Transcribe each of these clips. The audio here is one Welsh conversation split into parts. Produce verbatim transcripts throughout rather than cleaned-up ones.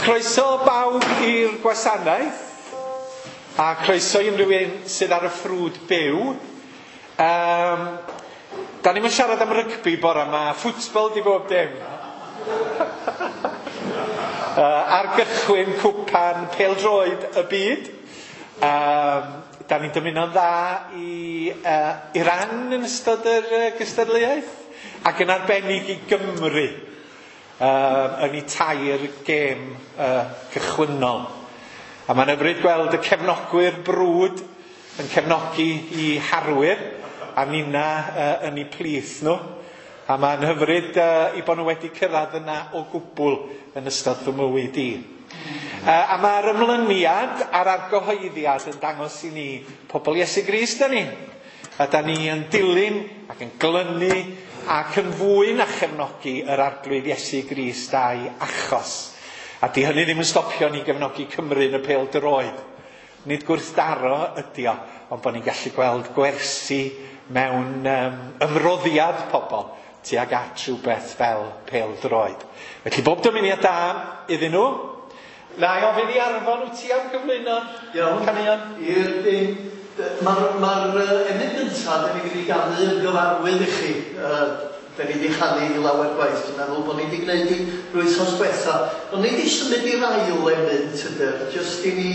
Croeso bawb i'r gwasanaeth, a croeso i unrhyw un sydd ar y ffrwd byw. Um, da ni'n siarad am rygbi bore yma, ffwtbol di bob dim. uh, ar gychwyn cwpan pêl-droed y byd. Um, da ni'n dymuno'n dda i uh, Iran yn ystod yr uh, gystadleuaeth, ac yn arbennig i Gymru. Um, yn ei tair gêm uh, cychwynnol. A mae'n hyfryd gweld y cefnogwyr brwd yn cefnogi i harwyr, a nina uh, yn ei plith nhw. A mae'n hyfryd uh, i bod nhw wedi cyrraedd yna o gwbl yn ystod fy mywyd i. Uh, a mae'r ymlyniad a'r argyhoeddiad yn dangos i ni pobl Iesu Grist da ni. A da ni yn dilyn ac yn glynu ac yn fwy na chefnogi yr arglwydd Iesu Grist a'i achos. A di hynny ddim yn stopio ni gefnogi Cymru yn y pêl-droed. Nid gwrthdaro ydi o, ond bod ni'n gallu gweld gwersi mewn um, ymroddiad pobl tuag at rhywbeth fel pêl-droed. Felly bob dymuniad da iddyn nhw. Na i ofyn i Arfon, wyt ti am gyflwyno? Iawn. Caneuon? I'r dim. Mae'r ma emyn gyntaf, da ni wedi ganu yn gyfarwydd i chi. Uh, da ni wedi chanu i lawer gwaith. Dwi'n meddwl bod ni wedi gwneud i wythnos diwetha. Ond ni wedi symud i'r ail emyn, tyder. Jyst i ni...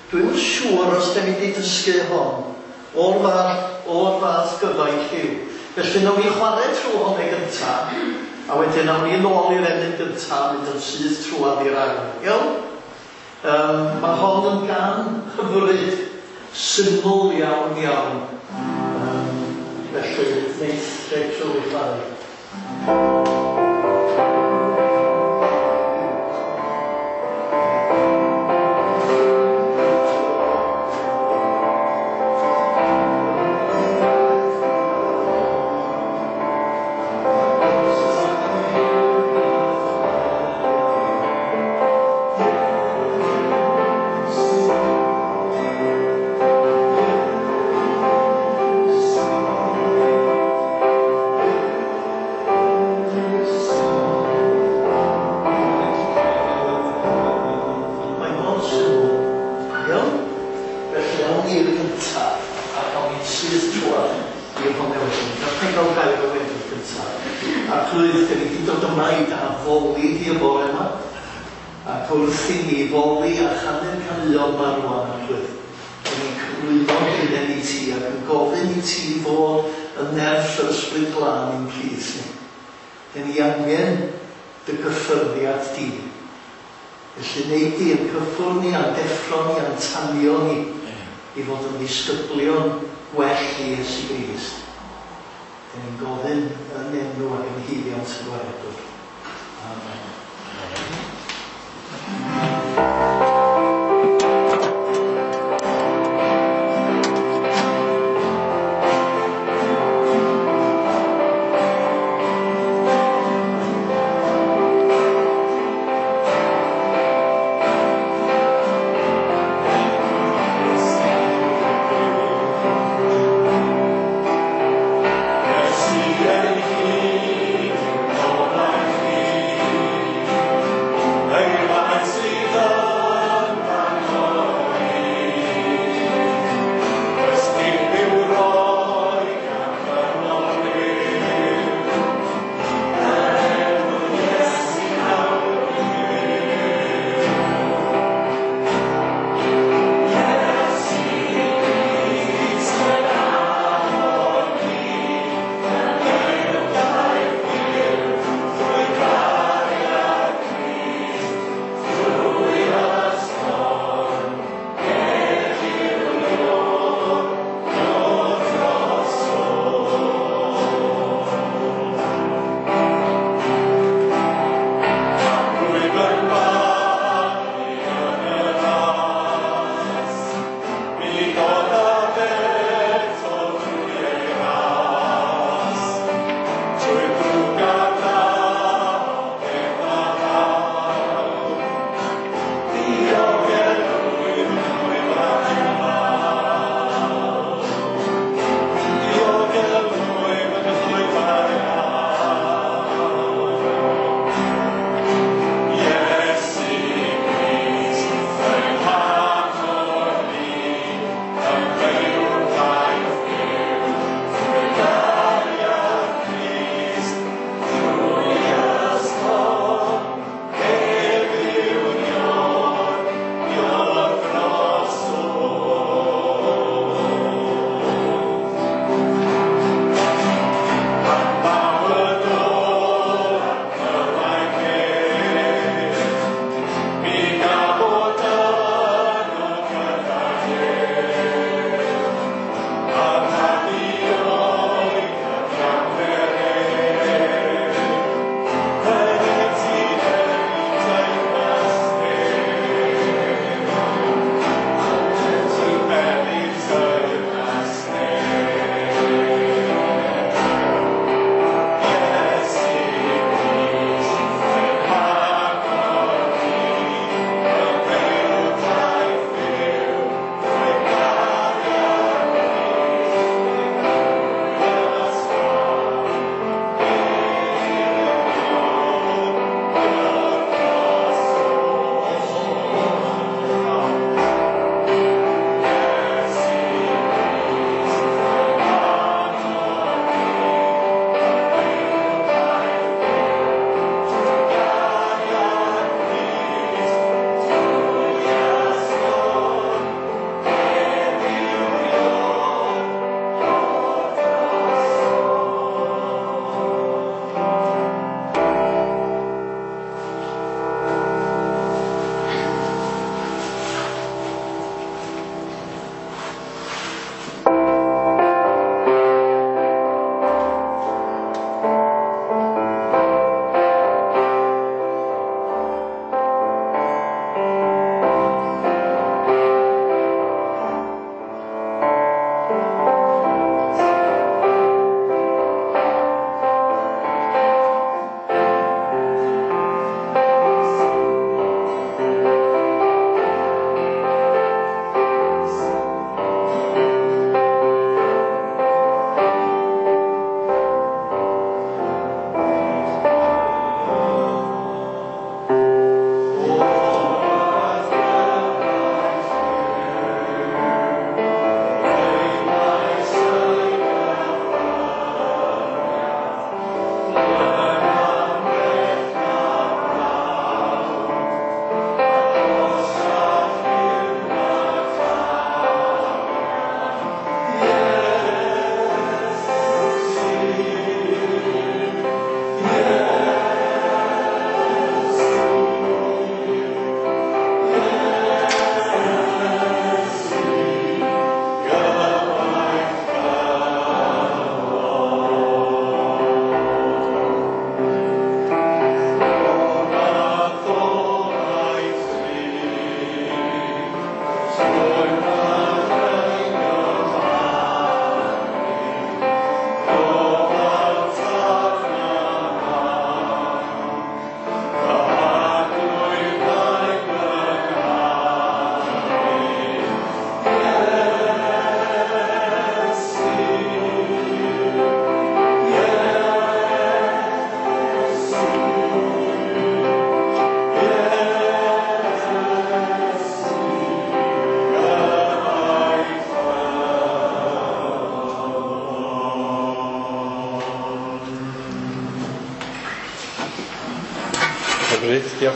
Dwi'm yn siŵr os da ni wedi dysgu hon. O'r fath, o'r fath gyfaill yw. Felly nawn ni chwarae trwy hon ei gyntaf, a wedyn nawn ni nôl i'r emyn gyntaf, mynd yn syth trwadd i'r ail. Iawn? Um, mae hon yn gan hyfryd, syml iawn iawn. Um, felly, neith Rachel i chwarae. Yes,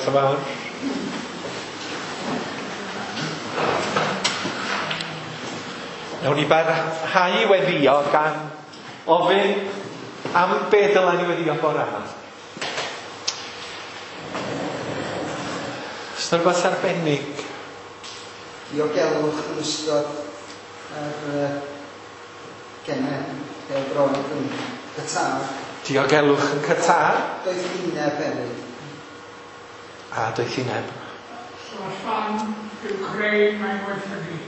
Diolch yn fawr. Nawn ni barhau i weddio gan ofyn am be dylen ni weddio bore yma. Oes 'na rhywbeth arbennig? Diogelwch yn ystod yr uh, gemau pêl-droed yn Qatar. Diogelwch yn Qatar. Doethineb hefyd. A doethineb. Sefyllfa Ukraine mae'n gwaethygu.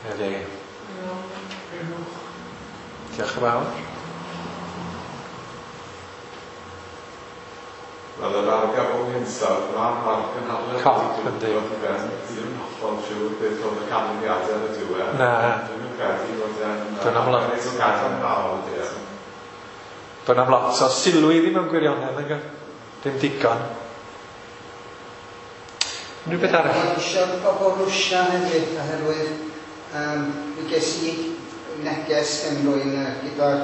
Ydy. Diolch yn fawr. Wel, yr argyfwng hinsawdd, mae'r mae'r cynhadledd Cop, yndi. Ddim yn hollol siŵr beth oedd y canlyniadau yn y diwedd. Na. Dwi'n yn credu bod e'n Do'n am lot. Cadarnhaol ydy e. Do'n am lot o sylw iddi mewn gwirionedd, nag oes? Dim digon. Unrhyw beth arall? Mae'n eisiau pobl Rwsia hefyd, oherwydd um, mi ges i neges gen rywun uh, gyda'r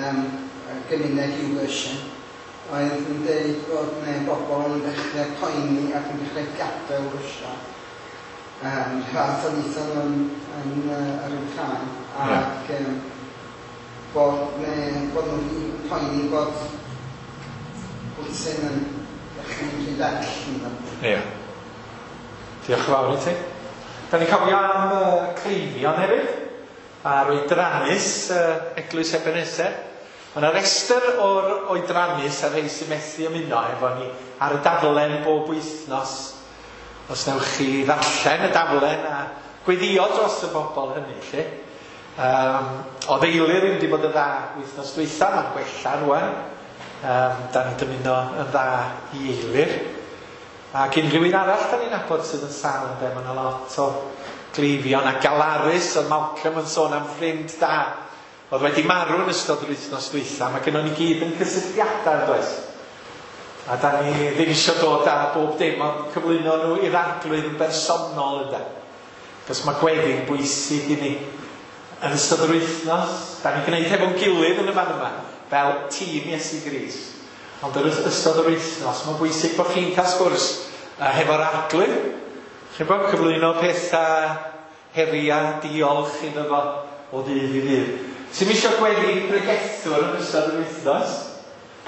um, gymuned YouVersion oedd yn dweud bod ne bobl yn dechrau poeni ac yn dechrau gadael Rwsia. Um, fath o wnaethon nhw yn, yn, uh, yr Wcráin, ac um, bod, ne, bod nhw wedi poeni bod Putin yn dechrau mynd rhy bell. Ynddo. Ie. Diolch yn fawr i ti. Da ni'n cofio am uh, cleifion hefyd, a'r oedrannus uh, Eglwys Ebenezer. Mae yna restr o'r oedrannus a rhai sy'n methu ymuno efo ni ar y daflen bob wythnos. Os newch chi ddarllen y daflen a gweddio dros y bobl hynny, lle. Um, oedd Eilir ddim wedi bod yn dda wythnos dwytha, mae'n gwella rwan. Um, da ni'n dymuno yn dda i Eilir. Ac unrhyw un arall da ni'n nabod sydd yn sâl, ynde, mae yna lot o gleifion a galarus, oedd Malcolm yn sôn am ffrind da oedd wedi marw yn ystod yr wythnos dwytha. Mae gynnon ni gyd yn cysylltiadau, yn does? A da ni ddim eisiau dod â bob dim, ond cyflwyno nhw i'r Arglwydd yn bersonol, ynde. Cos mae gweddi'n bwysig i ni. Yn ystod yr wythnos, da ni'n gwneud hefo'n gilydd yn y fan yma, fel tîm Iesu Grist. Ond yn ystod yr wythnos, mae'n bwysig bod chi'n cael sgwrs uh, hefo'r Arglwydd. Chi'n bod, cyflwyno pethau, heriau, diolch iddo fo o ddydd i ddydd. Sy'm eisiau gweddi pregethwr yn ystod yr wythnos?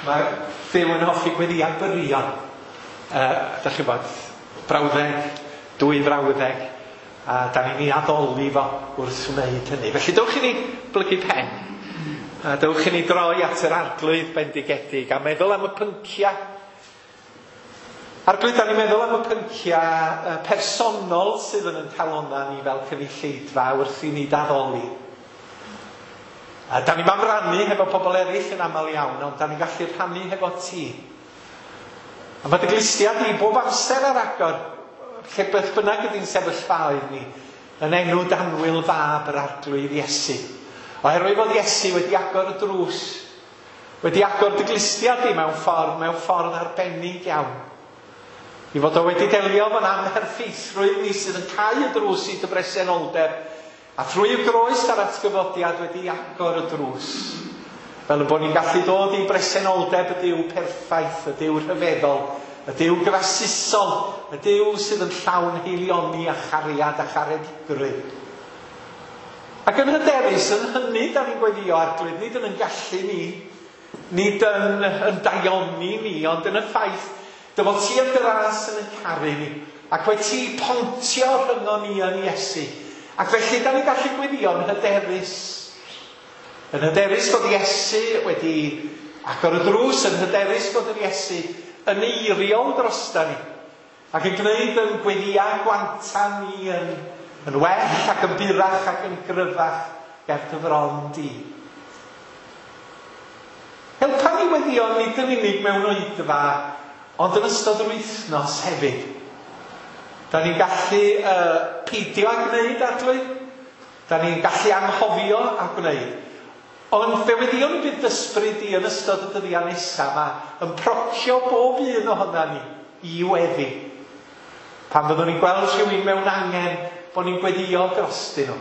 Mae Duw yn hoffi gweddiau byrion. Uh, da chi'n bod, brawddeg, dwy frawddeg, a da ni'n ei addoli fo wrth wneud hynny. Felly dewch i ni blygu pen. A dewch i ni droi at yr Arglwydd bendigedig a meddwl am y pynciau. Arglwydd, da ni'n meddwl am y pynciau personol sydd yn ein calonnau ni fel cynulleidfa wrth i ni addoli. A da ni'n am rannu hefo pobl eraill yn aml iawn, ond da ni'n gallu rhannu hefo ti. A mae dy glustiau di bob amser ar agor, lle beth bynnag ydy'n sefyllfaoedd ni, yn enw danwyl fab yr Arglwydd Iesu. Oherwydd fod Iesu wedi agor y drws, wedi agor dy glustiau di mewn ffordd, mewn ffordd arbennig iawn. I fod o wedi delio fo'n amherffeithrwydd ni sydd yn cau y drws i dy bresenoldeb, a thrwy y groes a'r atgyfodiad wedi agor y drws. Fel y bod ni'n gallu dod i bresenoldeb y Duw perffaith, y Duw rhyfeddol, y Duw grasusol, y Duw sydd yn llawn haelioni a chariad a charedigrwydd. Ac yn hyderus, yn hynny da ni'n gweddio Arglwydd, nid yn yn gallu ni, nid yn, yn daioni ni, ond yn y ffaith dy fod ti yn dras yn yn caru ni, ac wedi ti pontio rhyngon ni yn Iesu. Ac felly da ni'n gallu gweddio yn hyderus. Yn hyderus bod Iesu wedi agor y drws, yn hyderus bod yr Iesu yn eiriol drosta ni, ac yn gwneud yn gweddiau gwanta ni yn, yn well ac yn burach ac yn gryfach ger dy fron di. Helpa ni weddio nid yn unig mewn oedfa, ond yn ystod yr wythnos hefyd. Da ni'n gallu uh, peidio â gwneud, Arglwydd. Da ni'n gallu anghofio a gwneud. Ond fe weddiwn y bydd ysbryd i yn ystod y dyddiau nesaf yma yn procio bob un ohona ni i weddi. Pan fyddwn ni'n gweld rhywun mewn angen, bod ni'n gweddio drostyn nhw.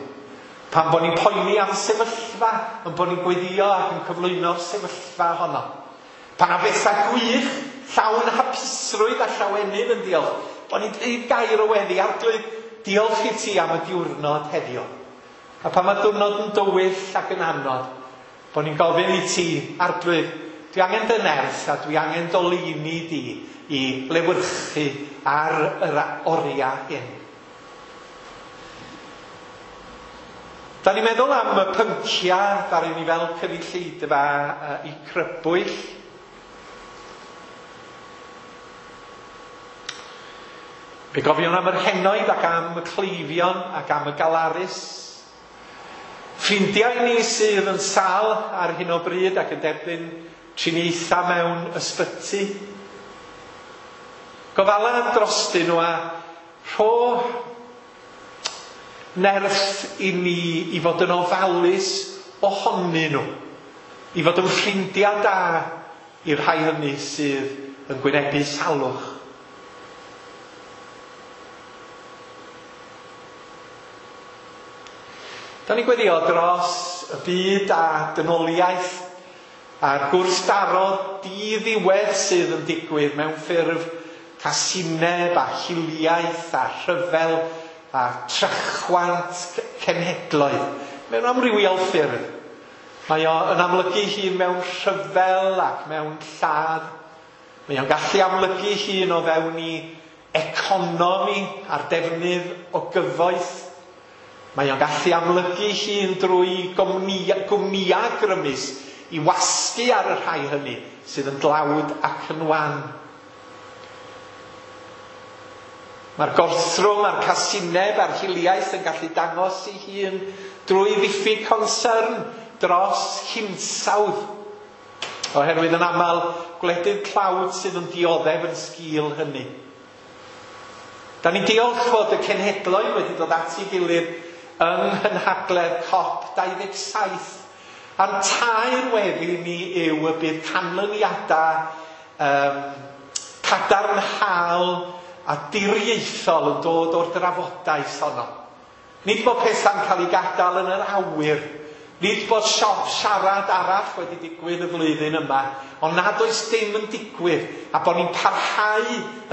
Pan bod ni'n poeni am sefyllfa, yn bod ni'n gweddio ac yn cyflwyno'r sefyllfa honno. Pan am bethau gwych llawn hapusrwydd a llawenydd yn diolch, bod ni'n dweud gair o weddi, Arglwydd, diolch i ti am y diwrnod heddiw. A pan mae diwrnod yn dywyll ac yn anodd, bod ni'n gofyn i ti, Arglwydd, dwi angen dy nerth a dwi angen dolini di i lewyrchu ar yr oriau hyn. Da ni'n meddwl am y pynciau ddaru ni fel cynulleidfa i crybwyll. Fe gofion am yr henoed ac am y cleifion ac am y galarus. Ffrindiau ni sydd yn sâl ar hyn o bryd ac yn derbyn triniaethau mewn ysbyty. Gofala drostyn nhw a rho nerth i ni i fod yn ofalus ohonyn nhw, i fod yn ffrindiau da i'r rhai hynny sydd yn gwynebu salwch. Da ni'n gweddio dros y byd a dynoliaeth a'r gwrthdaro diddiwedd sydd yn digwydd mewn ffurf casineb a hiliaeth a rhyfel a trachwant cenhedloedd mewn amrywiol ffyrdd. Mae o yn amlygu hun mewn rhyfel ac mewn lladd. Mae o'n gallu amlygu hun o fewn i economi a'r defnydd o gyfoeth. Mae o'n gallu amlygu hun drwy gwmnïau grymus i wasgu ar y rhai hynny sydd yn dlawd ac yn wan. Mae'r gorthrwm a'r casineb a'r hiliaeth yn gallu dangos ei hun drwy ddiffyg concern dros hinsawdd. Oherwydd yn aml gwledydd tlawd sydd yn dioddef yn sgil hynny. Da ni'n diolch fod y cenhedloedd wedi dod at ei gilydd yng nghynhadledd COP dau ddeg saith. A'n tair weddi ni yw y bydd canlyniadau um, cadarnhaol a diriaethol yn dod o'r drafodaeth honno. Nid bod pethau'n cael ei gadael yn yr awyr, nid bod siop siarad arall wedi digwydd y flwyddyn yma, ond nad oes dim yn digwydd, a bod ni'n parhau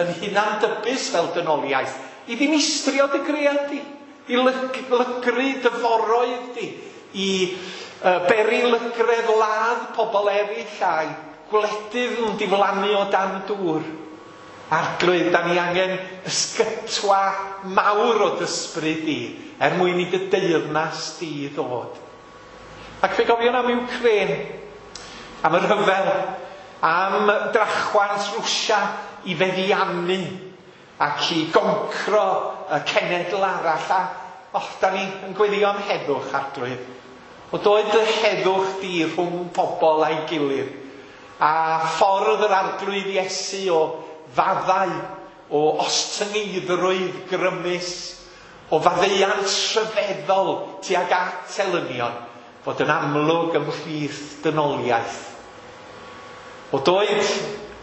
yn hunandybus fel dynoliaeth, i ddinistrio dy gread di, i lygru dy foroedd di, i uh, beri lygredd ladd pobl eraill a'i gwledydd yn diflannu o dan dŵr. Arglwydd, da ni angen ysgytwa mawr o dysbryd di, er mwyn i dy deyrnas di ddod. Ac fe gofion am Ukraine, am y rhyfel, am drachwant Rwsia i feddiannu ac i goncro y cenedl arall. A och, da ni yn gweddio am heddwch, Arglwydd. O doed y heddwch di rhwng pobl a'i gilydd, a ffordd yr Arglwydd Iesu o faddau, o ostyngeiddrwydd grymus, o faddeuant rhyfeddol tuag at elynion, fod yn amlwg ymhlith dynoliaeth. O doed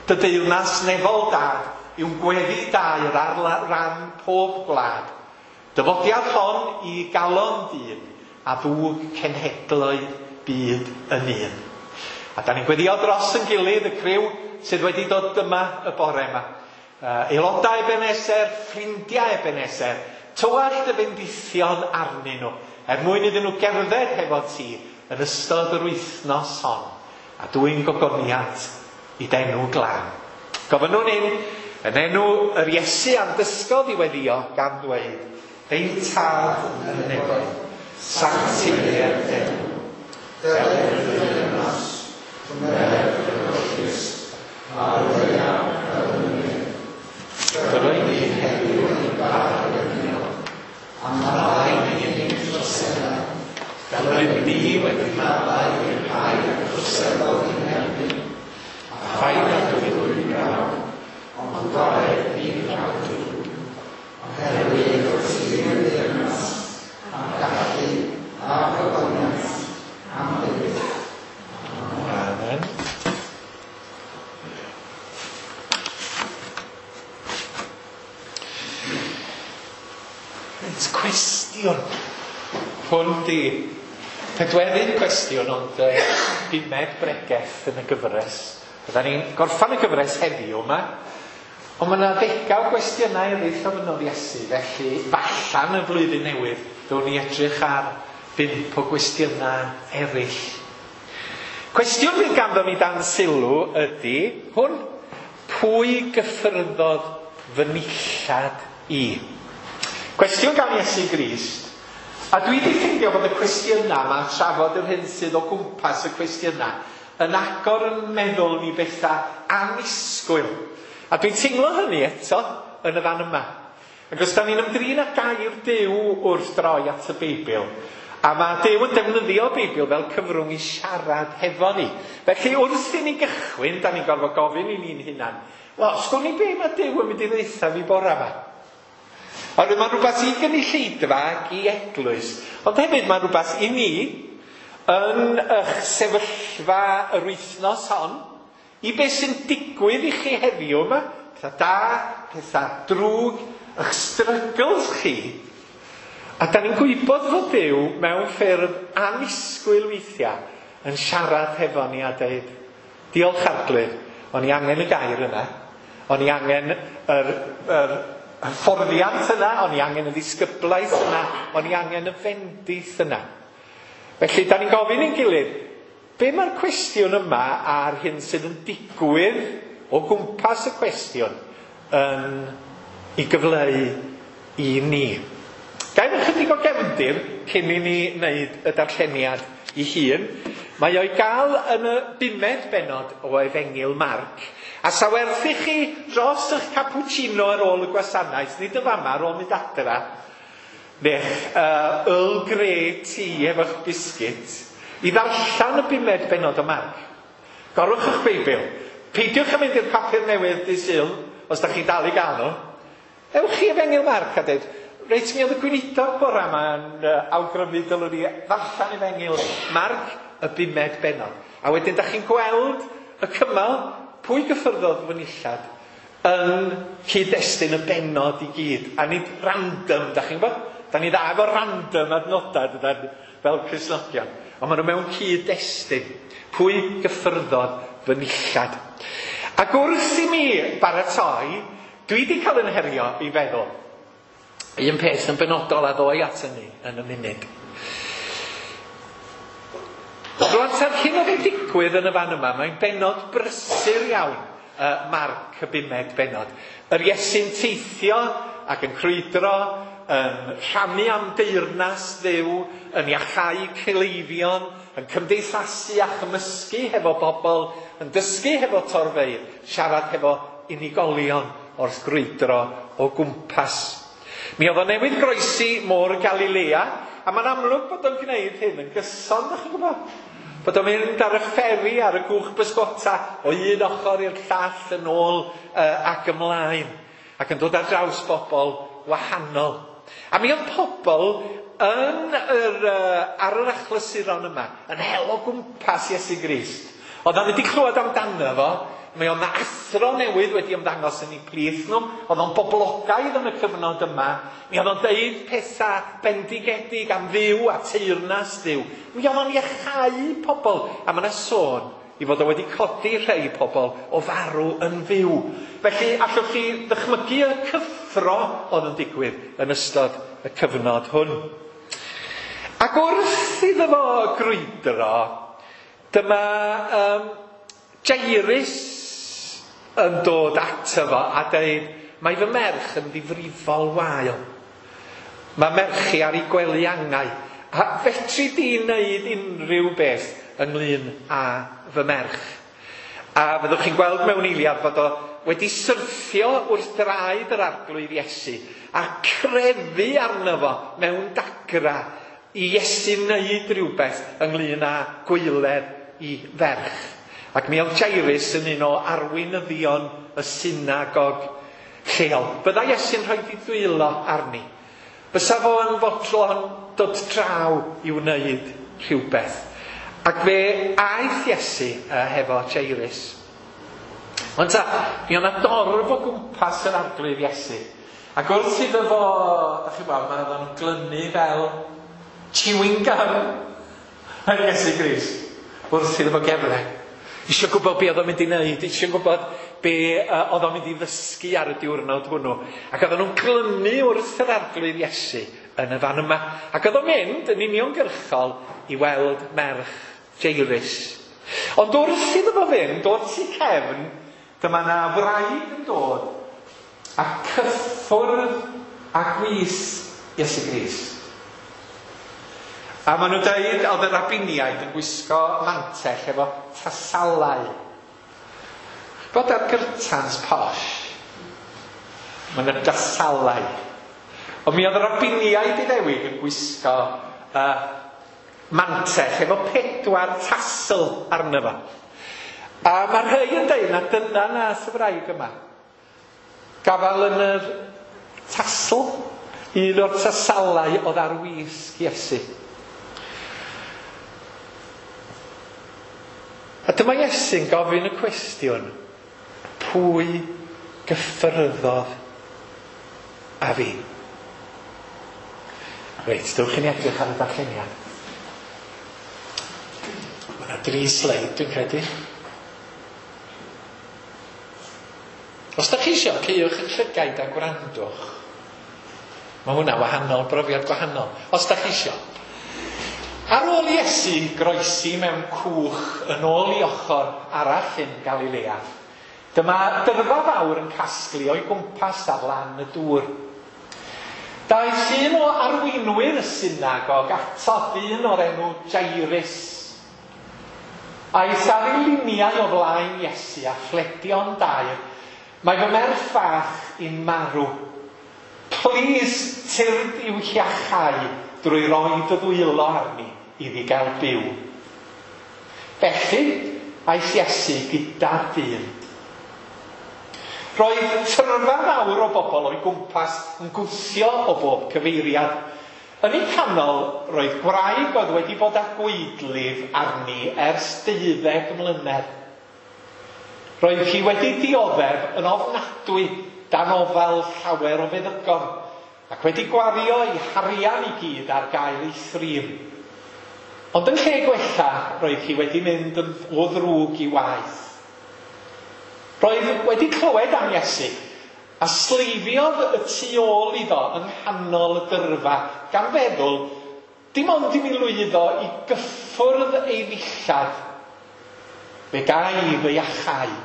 dy deyrnas nefol dad yw'n gweddi dair ar ran pob gwlad. Dyfodiad hon i galon dyn a ddwg cenhedloedd byd yn un. A da ni'n gweddio dros yn gilydd y criw sydd wedi dod yma y bore yma. Uh, aelodau Ebenezer, ffrindiau Ebenezer, tywallt y bendithion arnyn nhw, er mwyn iddyn nhw gerdded hefo ti yn ystod yr wythnos hon, a dwyn gogoniant i d'enw glân. Gofynnwn hyn yn enw yr Iesu a'n dysgodd i weddio gan ddweud, Ein Tad yn y nefoedd, sancteiddier d'enw, deled dy deyrnas, gwnel dy ewyllys, ar y ddaear fel yn y nef. Dyroi ni heddiw ein bara dyddiol, a maddau ni ein troseddau, fel yr ydym ni wedi maddau i'r rhai a droseddodd ein herbyn, a phaid â dwyn brawd, ond gorau ni rhag drwg, oherwydd wrth i'r deyrnas, a'r gallu, a'r gogoniant, am byth. Amen. Reit, cwestiwn. Hwn di pedwerydd cwestiwn, ond uh, bumed bregeth yn y gyfres. Fydda ni'n gorffan y gyfres heddiw yma, ond mae yna ddegau o gwestiynau eraill ofynnodd Iesu, felly fallan y flwyddyn newydd, ddown ni edrych ar bump o gwestiynau eraill. Cwestiwn fydd ganddo ni dan sylw ydy hwn: pwy gyffyrddodd fy nillad i? Cwestiwn gan Iesu Grist. A dwi wedi ffeindio bod y cwestiynau yma, trafod yr hyn sydd o gwmpas y cwestiynau, yn agor yn meddwl ni bethau annisgwyl. A dwi'n teimlo hynny eto yn y fan yma. Ac os da ni'n ymdrin â gair Duw wrth droi at y Beibl, a mae Duw yn defnyddio'r Beibl fel cyfrwng i siarad hefo ni. Felly wrth i ni gychwyn, da ni'n gorfod gofyn i ni'n hunan, wel, sgwn i be mae Duw yn mynd i ddeutha fi bora yma? Oherwydd mae'n rhywbeth i gynulleidfa ac i eglwys, ond hefyd mae'n rhywbeth i ni yn eich sefyllfa yr wythnos hon, i beth sy'n digwydd i chi heddiw yma, pethau da, pethau drwg, eich struggles chi. A da ni'n gwybod fod Duw mewn ffyrdd annisgwyl weithiau yn siarad hefo ni a dweud, diolch Arglwydd, o'n i angen y gair yna, o'n i angen yr, yr hyfforddiant yna, o'n i angen y ddisgyblaeth yna, o'n i angen y fendith yna. Felly, da ni'n gofyn i'n gilydd, be mae'r cwestiwn yma a'r hyn sydd yn digwydd o gwmpas y cwestiwn yn ei gyfleu i ni? Gael ychydig o gefndir cyn i ni wneud y darlleniad i hun. Mae o'i gael yn y bumed bennod o Efengyl Marc. A sa werth i chi dros eich cappuccino ar ôl y gwasanaeth, nid y fama, ar ôl mynd adra, neu'ch uh, Earl Grey tea efo'ch biscuit, i ddarllen y bumed bennod o Marc. Gorwch eich Beibl. Peidiwch yn mynd i'r papur newydd dydd Sul, os da chi'n dal i gael nhw. Ewch i Efengyl Marc a dweud, reit, mi oedd y gweinidog bora yma'n uh, awgrymu dylwn ni ddarllen Efengyl Marc y bumed bennod. A wedyn da chi'n gweld y cymal pwy gyffyrddodd fy nillad yn cyd-destun y bennod i gyd. A nid random, da chi'n gwybod? Da ni dda efo random adnodau dydan, fel Cristnogion. Ond maen nhw mewn cyd-destun. Pwy gyffyrddodd fy nillad? Ac wrth i mi baratoi, dwi wedi cael yn herio i feddwl un peth yn benodol a ddoi at hynny yn y munud. Rwan, ta'r hyn oedd yn digwydd yn y fan yma, mae'n bennod brysur iawn, uh, Marc y bumed bennod. Yr Iesu'n teithio ac yn crwydro, yn rhannu am deyrnas Dduw, yn iachau cleifion, yn cymdeithasu a chymysgu hefo bobl, yn dysgu hefo torfeydd, siarad hefo unigolion wrth grwydro o gwmpas. Mi oedd o newydd groesi môr Galilea, a mae'n amlwg bod o'n gwneud hyn yn gyson, ddech chi'n gwybod? Bod o'n mynd ar y fferi, ar y gwch bysgota, o un ochr i'r llall yn ôl uh, ac ymlaen, ac yn dod ar draws bobl wahanol. A mi oedd pobl yn yr, uh, ar yr achlysuron yma, yn hel o gwmpas Iesu Grist. Oedd o'n wedi clywed amdano fo, mi oedd 'na athro newydd wedi ymddangos yn eu plith nhw, oedd o'n boblogaidd yn y cyfnod yma, mi oedd o'n deud pethau bendigedig am Dduw a teyrnas Dduw. Mi oedd o'n iachau pobl, a mae yna sôn i fod o wedi codi rhai pobl o farw yn fyw. Felly allwch chi ddychmygu y cyffro oedd yn digwydd yn ystod y cyfnod hwn. Ac wrth iddo fo grwydro, dyma um, Jairus yn dod ato fo a dweud, mae fy merch yn ddifrifol wael. Mae merch i ar ei gwely angau. A fetri di wneud unrhyw beth ynglyn â fy merch? A fyddwch chi'n gweld mewn eiliad fod o wedi syrthio wrth draed yr Arglwydd Iesu a crefu arno fo mewn dagra i Iesu wneud rhywbeth ynglyn â gwaeledd i ferch. Ac mi oedd Jairus yn un o arweinyddion y synagog lleol. Byddai Iesu'n rhoi ei ddwylo arni. Bysa fo yn fodlon dod draw i wneud rhywbeth. Ac fe aeth Iesu uh, hefo Jairus. Ond ta, mi oedd 'na dorf o gwmpas yr Arglwydd Iesu. Ac wrth iddo fo, dach chi'n gwybod, mae o'n glynu fel chewing gum yn Iesu Grist wrth iddo fo gerdded. Isio gwybod be oedd o'n mynd i wneud, isio gwybod be uh, oedd o'n mynd i ddysgu ar y diwrnod hwnnw. Ac oedden nhw'n glynu wrth yr Arglwydd Iesu yn y fan yma. Ac oedd o'n mynd yn uniongyrchol i weld merch Jairus. Ond wrth iddo fo fynd, o'r tu cefn, dyma na wraig yn dod a cyffwrdd a gwisg Iesu Grist. A maen nhw'n dweud oedd y rabiniaid yn gwisgo mantell efo tasalau. Bod ar gyrtans posh, maen nhw'n dasalau. Ond mi oedd y rabiniaid Iddewig yn gwisgo uh, mantell efo pedwar tasl arno fo. A mae rhai yn dweud na dyna nath y wraig yma. Gafal yn yr tasl, un o'r tasalau oedd ar wisg Iesu. A dyma Iesu'n gofyn y cwestiwn, pwy gyffyrddodd a fi? Reit, dewch i ni edrych ar y darlleniad. Mae yna dri sleid, dwi'n credu. Os da chi isio, caewch eich llygaid a gwrandwch. Mae hwnna wahanol, brofiad gwahanol. Os da chi isio. Ar ôl Iesu groesi mewn cwch yn ôl i ochr arall yn Galilea, dyma dyrfa fawr yn casglu o'i gwmpas ar lan y dŵr. Daeth un o arweinwyr y synagog ato, dyn o'r enw Jairus. Aeth ar ei liniau o flaen Iesu a phledio'n daer, mae fy merch fach i'n marw. Plîs tyrd i'w hiachau drwy roi dy ddwylo arni iddi gael byw. Felly, aeth Iesu gyda'r dyn. Roedd tyrfa fawr o bobl o'i gwmpas yn gwthio o bob cyfeiriad. Yn ei canol, roedd gwraig oedd wedi bod â gwaedlif arni ers deuddeg mlynedd. Roedd hi wedi dioddef yn ofnadwy dan ofal llawer o feddygon, ac wedi gwario ei harian i gyd ar gael ei thrin. Ond yn lle gwella, roedd hi wedi mynd yn o ddrwg i waith. Roedd wedi clywed am Iesu, a sleifiodd y tu ôl iddo yng nghanol y dyrfa, gan feddwl, dim ond i mi lwyddo i gyffwrdd ei ddillad, fe gai fy iachau.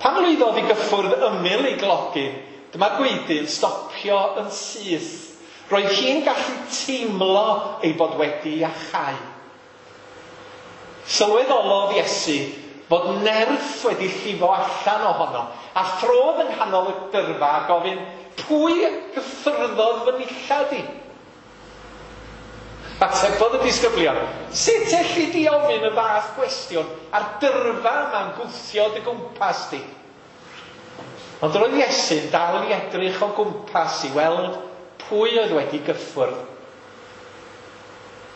Pan lwyddodd i gyffwrdd ymyl ei glogyn, dyma gwaedu'n stopio yn syth. Roedd hi'n gallu teimlo ei bod wedi iachau. Sylweddolodd Iesu fod nerth wedi llifo allan ohono, a throdd yng nghanol y dyrfa a gofyn, pwy gyffyrddodd fy nillad i? Atebodd y disgyblion, sut elli di ofyn y fath gwestiwn a'r dyrfa yma'n gwthio dy gwmpas di? Ond roedd Iesu'n dal i edrych o gwmpas i weld pwy oedd wedi gyffwrdd.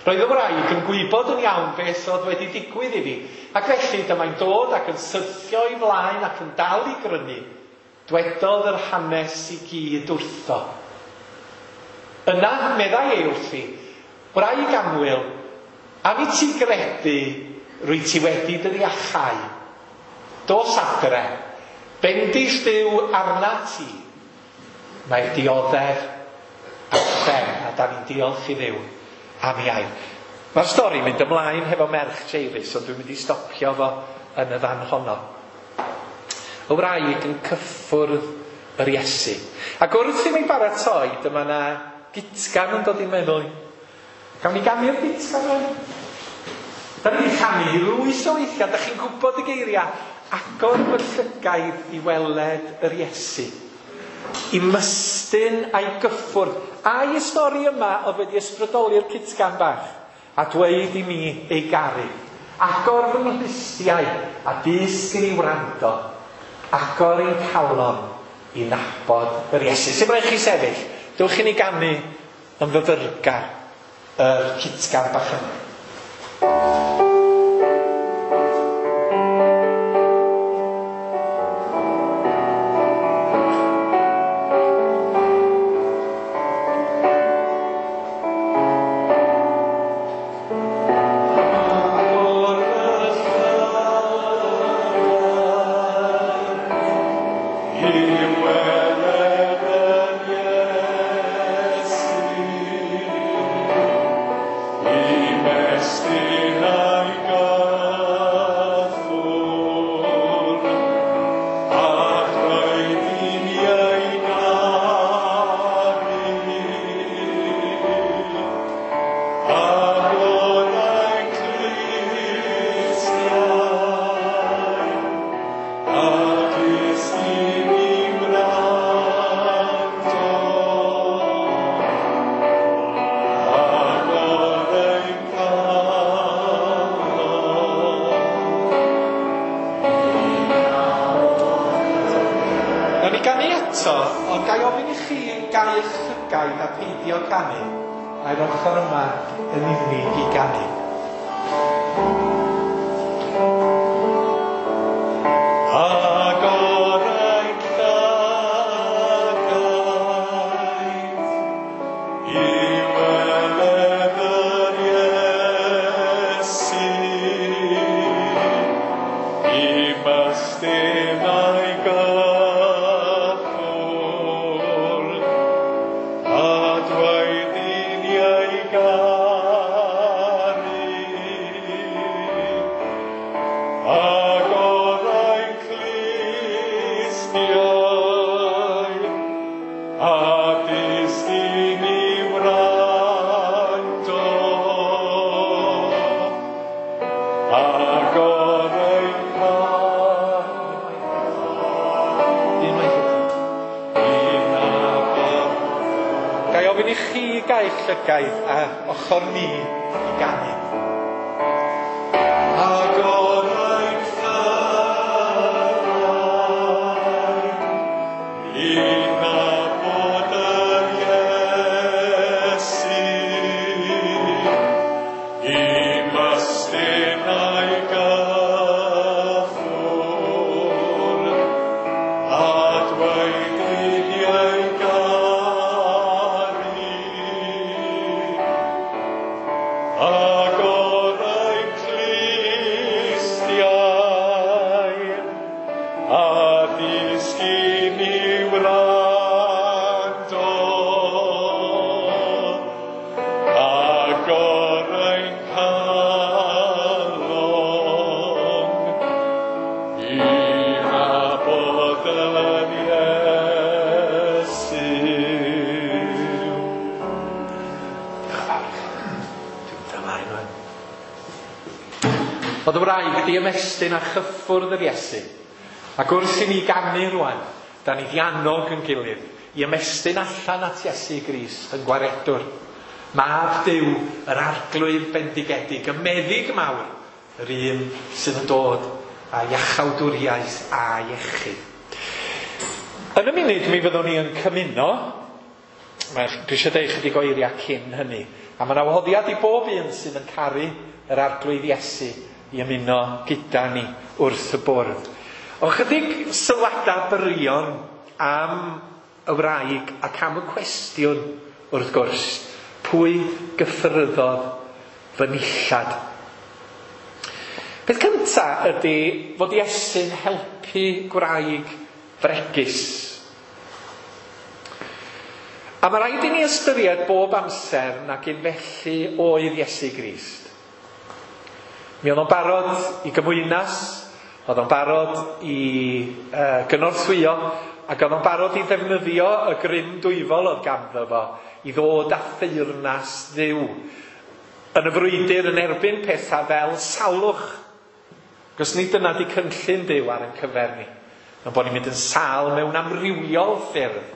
Roedd y wraig yn gwybod yn iawn beth oedd wedi digwydd iddi, ac felly dyma'n dod ac yn syrthio i flaen ac yn dal i grynu. Dwedodd yr hanes i gyd wrtho. Yna, meddai ei wrthi, wraig annwyl, am i ti gredu rwy ti wedi dy ddiachau. Dos adre, bendith Duw arna ti. Mae'r dioddef ar ben, a da ni'n diolch i Dduw am ei air. Mae'r stori'n mynd ymlaen hefo merch Jairus, ond dwi'n mynd i stopio fo yn y fan honno. Y wraig yn cyffwrdd yr Iesu. Ac wrth i mi baratoi, dyma na gitgan yn dod i'n meddwl. Gawn ni ganu'r gitgan yma? Da ni'n canu lwyth o weithiau, da chi'n gwybod y geiriau. Agor fy llygaid i weled yr Iesu. I mystyn a'i gyffwrdd. A'i stori yma oedd wedi ysbrydoli'r cytgan bach a dweud i mi ei garu. Agor fy nghlustiau a dysg i ni wrando. Agor ein calon i nabod yr Iesu. Sut rhaid chi sefyll? Dewch i ni ganu yn fyfyrgar yr cytgan bach yma. Agor fy eto, ond ga i ofyn i chi gau eich llygaid a peidio canu, a'r ochr yma yn unig i ganu. Llygaid a ochr ni i ganu. Oedd y wraig di ymestyn a chyffwrdd yr Iesu. Ac wrth i ni ganu rwan, da ni di annog yn gilydd i ymestyn allan at Iesu Grist yn gwaredwr. Mab Duw, yr arglwydd bendigedig, y meddyg mawr, yr un sydd yn dod â iachawdwriaeth a iechyd. Yn y munud mi fyddwn ni yn cymuno. Mae, dwi eisiau deud chydig o eiriau cyn hynny. A mae yna wahoddiad i bob un sydd yn caru yr arglwydd Iesu i ymuno gyda ni wrth y bwrdd. O chydig sylwadau byrion am y wraig ac am y cwestiwn wrth gwrs, pwy gyffyrddodd fy nillad? Peth cynta ydy fod Iesu'n helpu gwraig fregus. A mae rhaid i ni ystyried bob amser nag un felly oedd Iesu Grist. Mi oedd o'n barod i gymwynas, oedd o'n barod i uh, gynorthwyo, ac oedd o'n barod i ddefnyddio y grym dwyfol oedd ganddo fo i ddod â theyrnas Dduw yn y frwydr yn erbyn pethau fel salwch. Cos nid dyna di cynllun Duw ar ein cyfer ni. Ond bod ni'n mynd yn sâl mewn amrywiol ffyrdd.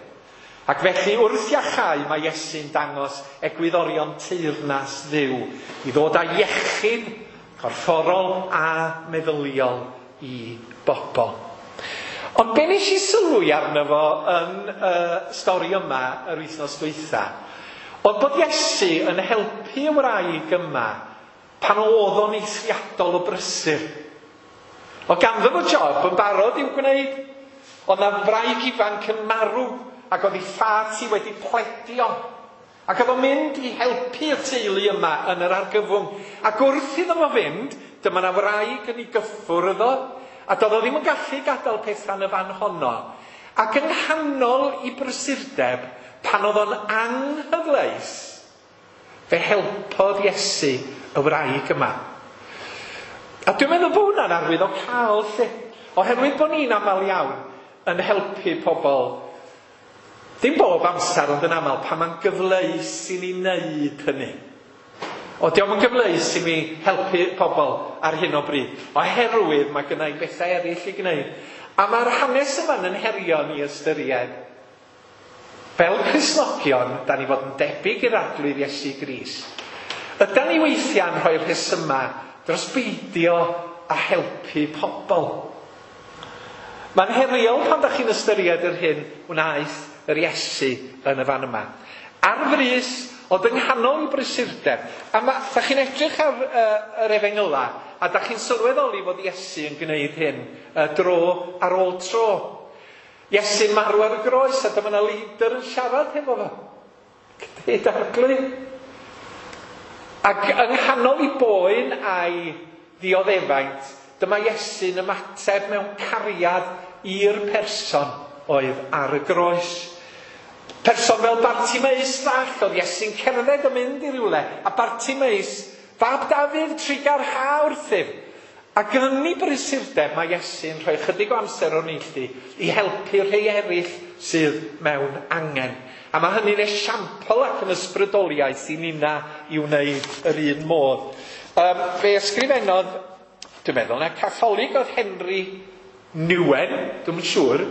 Ac felly wrth iachau mae Iesu'n dangos egwyddorion teyrnas Dduw i ddod â iechyd corfforol a meddyliol i bobl. Ond be nes i sylwi arno fo yn y stori yma yr wythnos dwytha, oedd bod Iesu yn helpu y wraig yma pan oedd o'n eithriadol o brysur. Oedd ganddo fo job yn barod i'w gwneud. Oedd na wraig ifanc yn marw ac oedd ei ffat hi wedi pledio. Ac oedd o'n mynd i helpu y teulu yma yn yr argyfwng. Ac wrth iddo fo fynd, dyma na wraig yn ei gyffwrdd o, a doedd o ddim yn gallu gadael pethau yn y fan honno. Ac yng nghanol i brysurdeb, pan oedd o'n anghyfleus, fe helpodd Iesu y wraig yma. A dwi'n meddwl bod hwnna'n arwydd o cael lle. Oherwydd bod ni'n aml iawn yn helpu pobl, ddim bob amser ond yn aml, pan mae'n gyfleus i ni wneud hynny. O, dio'm yn gyfleus i mi helpu pobl ar hyn o bryd, oherwydd mae gynna i bethau eraill i gwneud. A mae'r hanes yma'n yn herio ni ystyried. Fel Cristnogion, da ni fod yn debyg i'r arglwydd Iesu Grist. Ydan ni weithiau'n rhoi rhesymau dros beidio a helpu pobl. Mae'n heriol pan da chi'n ystyried yr hyn wnaeth yr Iesu yn y fan yma. Ar frys, ond yng nghanol i brysurdeb. A ma, da chi'n edrych ar uh, yr efengyla, a da chi'n sylweddoli fod Iesu yn gwneud hyn uh, dro ar ôl tro. Iesu'n marw ar y groes, a dyma 'na leidr yn siarad hefo fo. Deud Arglwydd. Ac yng nghanol i boen a'i ddioddefaint, dyma Iesu'n ymateb mewn cariad i'r person oedd ar y groes. Person fel Bartimeus fach, oedd Iesu'n cerdded yn mynd i rywle, a Bartimeus, fab Dafydd, trugarha wrthyf. Ac yn ei brysurdeb mae Iesu'n rhoi chydig o amser o'r neilltu i helpu rhai eraill sydd mewn angen. A mae hynny'n esiampl ac yn ysbrydoliaeth i ninna i wneud yr un modd. Um, fe ysgrifennodd, dwi'n meddwl, na Catholig oedd Henry Nouwen, dwi'n siŵr,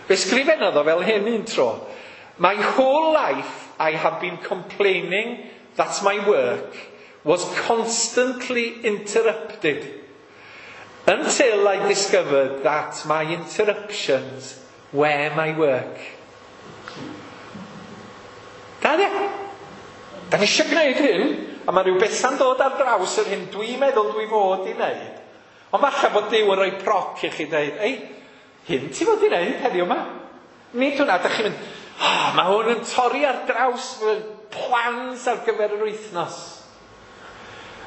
fe ysgrifennodd o fel hyn un tro. My whole life I have been complaining that my work was constantly interrupted until I discovered that my interruptions were my work. Da, de? Da ni eisiau gwneud hyn, a mae rhyw bethau'n dod ar draws yr hyn dwi'n meddwl dwi fod i wneud. Ond falle bod Duw yn rhoi proc i chi dweud, ei, hyn ti fod i wneud heddiw yma? Nid hwnna, da chi'n mynd, oh, mae hwn yn torri ar draws fy plans ar gyfer yr wythnos.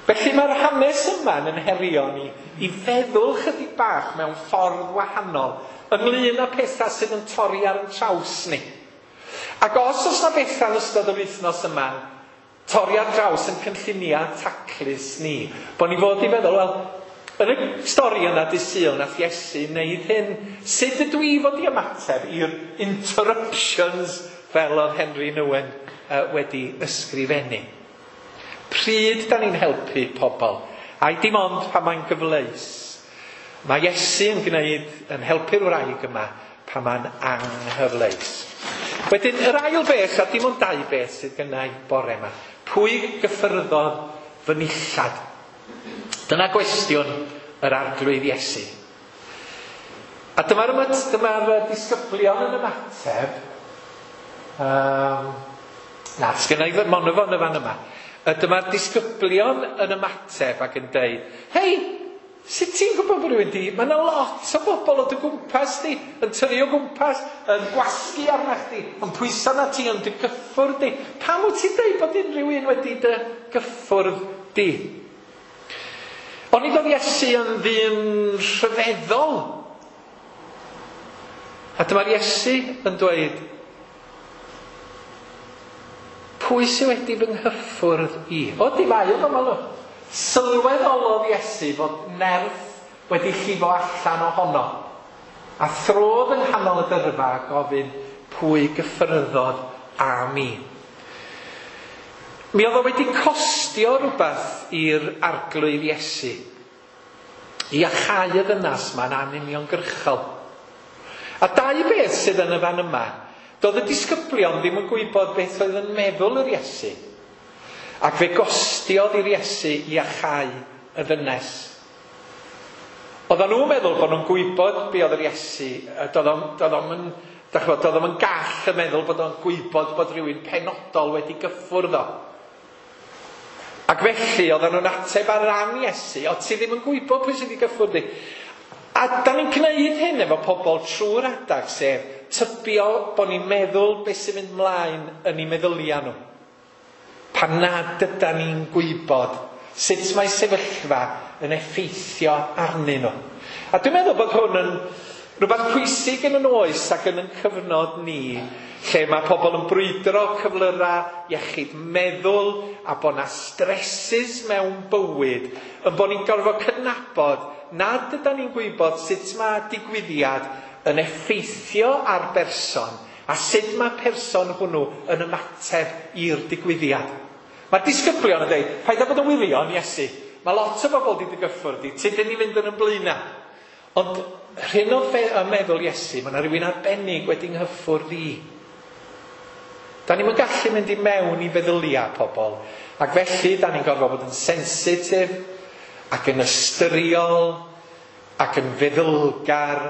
Felly mae'r hanes yma yn herio ni i feddwl chydig bach mewn ffordd wahanol ynglyn â pethau sydd yn torri ar yn traws ni. Ac os oes na bethau yn ystod yr wythnos yma torri ar draws yn cynlluniau taclus ni, bod ni fod i feddwl, wel, yn y stori yna dydd Sul nath Iesu wneud hyn, sut ydw i fod i ymateb i'r interruptions fel oedd Henry Nouwen uh, wedi ysgrifennu? Pryd da ni'n helpu pobl? Ai dim ond pan mae'n gyfleus. Mae Iesu yn gwneud, yn helpu'r wraig yma pan mae'n anghyfleus. Wedyn, yr ail beth, a dim ond dau beth sydd gynna i bore yma. Pwy gyffyrddodd fy nillad? Dyna gwestiwn yr Arglwydd Iesu. A dyma'r dyma'r disgyblion yn ymateb. Um, na, sgynna i ddim ond yn y fan yma. Dyma'r disgyblion yn ymateb ac yn deud, hei, sut ti'n gwybod bod rhywun di? Mae yna lot o bobl o dy gwmpas di, yn tynnu o gwmpas, yn gwasgu arna chdi, yn pwyso na ti, yn dy gyffwrdd di. Pam wyt ti'n deud bod unrhyw un wedi dy gyffwrdd di? Onid oedd Iesu yn ddyn rhyfeddol? A dyma'r Iesu yn dweud, pwy sydd wedi fy nghyffwrdd i? O, di mae o fel nhw. Sylweddolodd Iesu fod nerth wedi llifo allan ohono. A throdd yng nghanol y dyrfa a gofyn pwy gyffyrddodd â mi. Mi oedd o wedi costio rhywbeth i'r Arglwydd Iesu i achau y ddynas ma'n anuniongyrchol. A dau beth sydd yn y fan yma, doedd y disgyblion ddim yn gwybod beth oedd yn meddwl yr Iesu. Ac fe gostiodd i'r Iesu i achau y ddynes. Oedden nhw'n meddwl bod nhw'n gwybod be oedd yr Iesu. Doedd o'm yn, doedd o'm yn gall y meddwl bod o'n gwybod bod rhywun penodol wedi gyffwrdd o. Ac felly oedden nhw'n ateb ar ran Iesu, o ti ddim yn gwybod pwy sydd wedi gyffwrdd di. A da ni'n gwneud hyn efo pobl trwy'r adag, sef tybio bod ni'n meddwl beth sy'n mynd mlaen yn eu meddyliau nhw. Pan nad ydan ni'n gwybod sut mae sefyllfa yn effeithio arnyn nhw. A dwi'n meddwl bod hwn yn rhywbeth pwysig yn yn oes ac yn yn cyfnod ni, lle mae pobl yn brwydro cyflyrau iechyd meddwl a bod na stresses mewn bywyd, yn bod ni'n gorfod cydnabod nad ydan ni'n gwybod sut mae digwyddiad yn effeithio ar berson a sut mae person hwnnw yn ymateb i'r digwyddiad. Mae'r disgyblion yn dweud, paid â bod yn wirion, Iesu. Mae lot o bobl wedi dy gyffwrdd di, ti dyn ni fynd yn y blaenau. Ond rhan o meddwl Iesu, mae yna rhywun arbennig wedi nghyffwrdd i. Da ni'n gallu mynd i mewn i feddyliau pobl. Ac felly, da ni'n gorfod bod yn sensitif, ac yn ystyriol, ac yn feddylgar,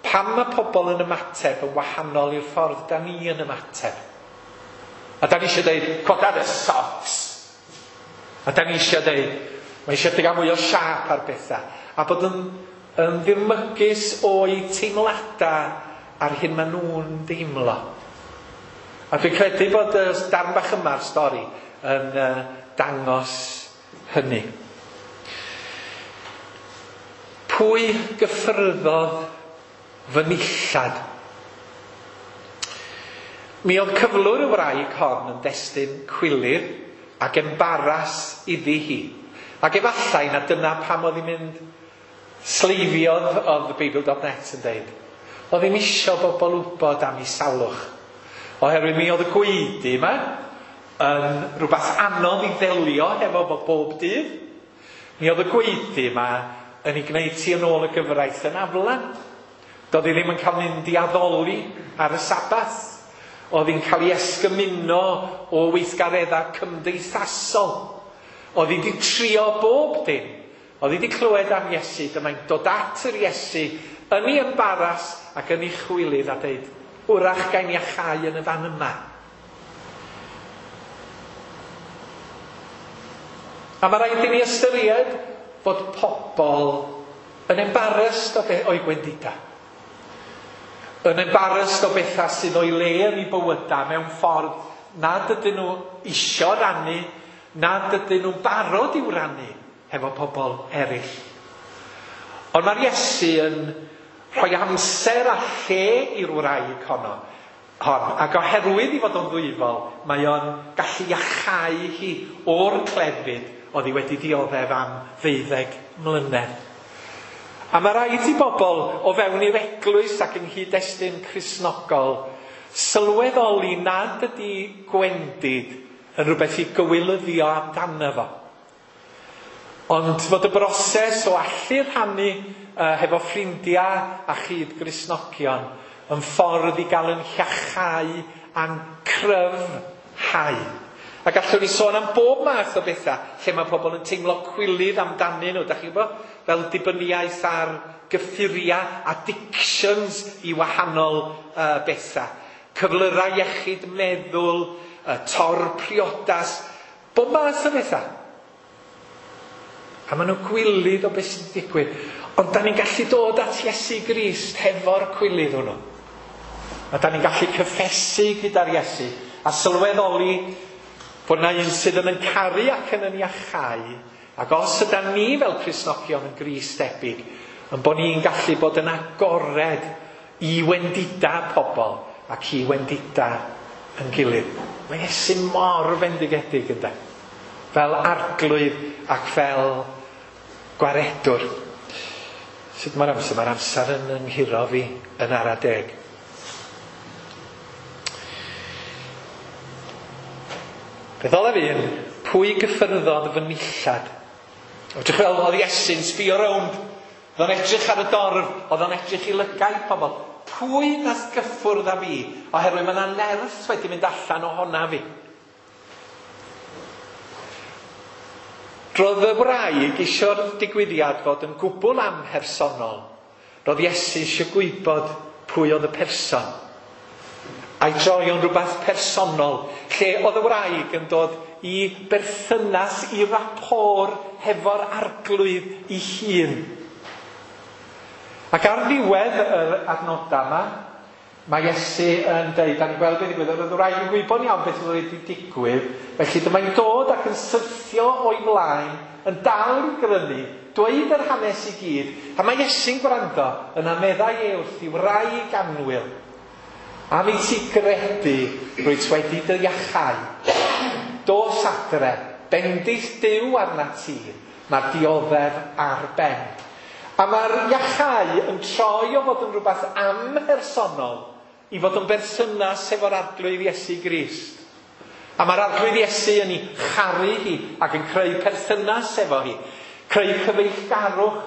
Pam mae pobl yn ymateb yn wahanol i'r ffordd da ni yn ymateb? A da ni eisiau dweud, coda dy socks. A da ni eisiau dweud, mae eisiau gael mwy o siâp ar bethau. A bod yn, yn ddirmygus o'i teimladau a'r hyn maen nhw'n deimlo. A dwi'n credu bod y darn bach yma'r stori yn uh, dangos hynny. Pwy gyffyrddodd fy nillad? Mi oedd cyflwr y wraig hon yn destun cwilydd ac embaras iddi hi. Ac efallai na dyna pam oedd hi'n mynd sleifiodd, oedd the Bible dot net yn deud. Oedd hi'm isio bobl wybod am ei salwch. Oherwydd mi oedd y gwaedu yma yn rhywbeth anodd i ddelio hefo fo bob dydd. Mi oedd y gwaedu yma yn ei gwneud ti yn ôl y gyfraith yn aflan. Doedd hi ddim yn cael mynd i addoli ar y Sabath. Oedd hi'n cael ei esgymuno o weithgareddau cymdeithasol. Oedd hi wedi trio bob dim. Oedd hi wedi clywed am Iesu. Dyma'n dod at yr Iesu yn ei embaras ac yn ei chwilydd a deud, wrach gael ni achau yn y fan yma. A mae rhaid i ni ystyried fod pobl yn embarrassed o be- o'i gwendida. Yn embarrassed o bethau sydd o'i le yn ei bywydau mewn ffordd nad ydyn nhw isio rannu, nad ydyn nhw'n barod i'w rannu hefo pobl eraill. Ond mae'r Iesu yn rhoi amser a lle i'r wraig honno, hon, ac oherwydd i fod o'n ddwyfol, mae o'n gallu iachau hi o'r clefyd oedd hi wedi dioddef am ddeuddeg mlynedd. A mae rhaid i bobl o fewn i'r eglwys ac yng nghyd-destun Cristnogol sylweddoli nad ydy gwendid yn rhywbeth i gywilyddio amdano fo. Ond fod y broses o allu rhannu uh, hefo ffrindiau a chyd-Gristnogion yn ffordd i gael yn iachau a'n cryfhau. A gallwn ni sôn am bob math o bethau lle mae pobl yn teimlo cwilydd amdanyn nhw, da chi'n gwybod? Fel dibyniaeth ar gyffuriau, addictions i wahanol uh, bethau. Cyflyrau iechyd meddwl, uh, tor priodas, bob math o bethau. A maen nhw'n gwilydd o beth sy'n digwydd. Ond da ni'n gallu dod at Iesu Grist hefo'r cwilydd hwnnw. A da ni'n gallu cyffesu gyda'r Iesu a sylweddoli bod na un sydd yn yn caru ac yn yn iachau, ac os ydan ni fel Cristnogion yn Grist debyg, yn bod ni'n gallu bod yn agored i wendida pobl ac i wendida yn gilydd. Mae Iesu mor fendigedig ynde? Fel arglwydd ac fel gwaredwr. Sut mae'r amser? Mae'r amser yn ynghuro fi yn ara deg. Beth olaf un, pwy gyffyrddodd fy nillad? Edrych fel oedd Iesu'n sbio rownd. Oedd o'n edrych ar y dorf, oedd o'n edrych i lygaid pobl. Pwy nath gyffwrdd â fi? Oherwydd mae yna nerth wedi mynd allan ohona fi. Roedd y wraig isio'r digwyddiad fod yn gwbl amhersonol. Roedd Iesu eisiau gwybod pwy oedd y person. A'i droi o'n rhywbeth personol, lle oedd y wraig yn dod i berthynas, i rapport hefo'r arglwydd ei hun. Ac ar ddiwedd yr adnodau yma, mae Iesu yn deud, da ni'n gweld beth ddigwyddodd, oedd y wraig yn gwybod iawn beth oedd wedi digwydd, felly dyma'n dod ac yn syrthio o'i flaen, yn dal i grynu, dweud yr hanes i gyd, a mae Iesu'n gwrando, yna meddai e wrth i wraig annwyl, am i ti gredu, rwyt wedi dy iachau. Dos adre, bendith Duw arnat ti, mae'r dioddef ar ben. A mae'r iachau yn troi o fod yn rhywbeth amhersonol i fod yn berthynas efo'r arglwydd Iesu Grist. A mae'r arglwydd Iesu yn ei charu hi ac yn creu perthynas efo hi, creu cyfeillgarwch.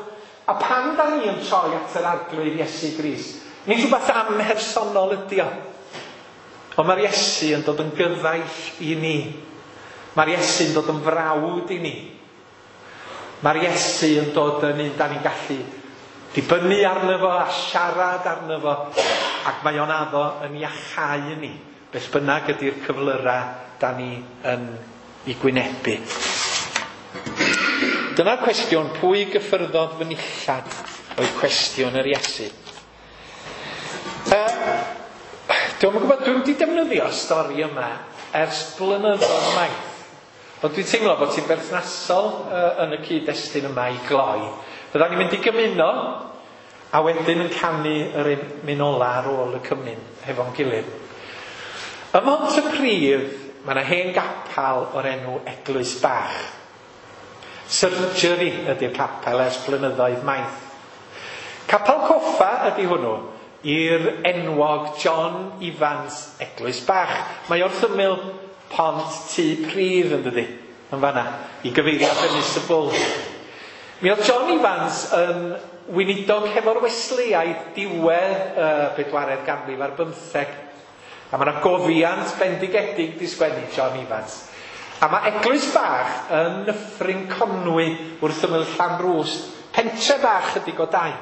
A pan da ni yn troi at yr arglwydd Iesu Grist, nid rhywbeth amhersonol ydi o. Ond mae'r Iesu yn dod yn gyfaill i ni. Mae'r Iesu yn dod yn frawd i ni. Mae'r Iesu yn dod yn un da ni'n gallu Dibynnu arno fo a siarad arno fo, ac mae o'n addo yn iachau ni, beth bynnag ydy'r cyflyrau da ni yn ei gwynebu. Dyna'r cwestiwn, pwy gyffyrddodd fy nillad, oedd cwestiwn yr Iesu. Uh, Dwi'm yn gwybod, dwi'm wedi defnyddio'r stori yma ers blynyddoedd maith. Ond dwi'n teimlo bod ti'n berthnasol uh, yn y cyd-destun yma i gloi. Fyddan ni'n mynd i gymuno a wedyn yn canu yr emyn ola ar ôl y cymun hefo'n gilydd. Ym Mhontypridd, mae yna hen gapel o'r enw Eglwys Bach. Surgery ydy'r capel ers blynyddoedd maith. Capel coffa ydy hwnnw i'r enwog John Evans Eglwys Bach. Mae wrth ymyl pont Tŷ Pridd yn dydi, yn fanna, i gyfeiriad Ynys y Bwlch. Mi oedd John Evans yn weinidog hefo'r Wesleyaid diwedd y bedwaredd ganrif ar bymtheg. A mae yna gofiant bendigedig di sgwennu John Evans. A mae Eglwys Bach yn Nyffryn Conwy wrth ymyl Llanrwst, pentre bach ydi Godau.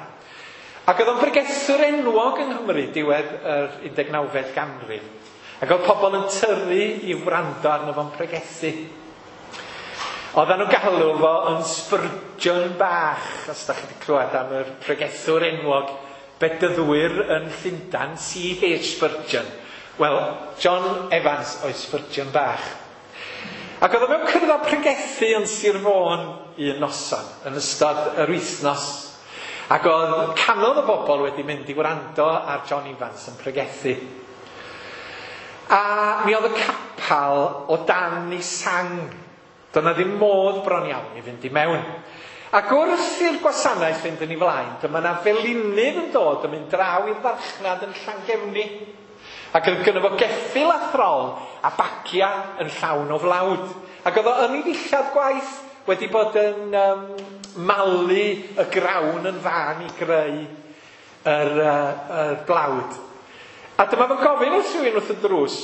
Ac oedd o'n bregethwr enwog yng Nghymru diwedd yr undeg nawfed ganrif. Ac oedd pobl yn tyrru i wrando arno fo'n pregethu. Oedden nhw'n galw fo yn Spurgeon bach, os da chi wedi clywed am yr pregethwr enwog bedyddwyr yn Llundain, C H Spurgeon. Wel, John Evans oedd Spurgeon bach. Ac oedd o mewn cyrraedd pregethu yn Sir Fôn un noson, yn ystod yr wythnos. Ac oedd canodd o bobl wedi mynd i wrando ar John Evans yn pregethu. A mi oedd y capel o dan ei sang. Doedd ddim modd bron iawn i fynd i mewn. Ac wrth i'r gwasanaeth fynd yn ei flaen, dyma na felinydd yn dod yn mynd draw i'r farchnad yn Llangefni. Ac oedd gynno fo geffyl a throl a bagia yn llawn o flawd. Ac oedd o yn ei ddillad gwaith wedi bod yn um, malu y grawn yn fan i greu yr, uh, yr blawd. A dyma fo'n gofyn wrth rhywun wrth y drws,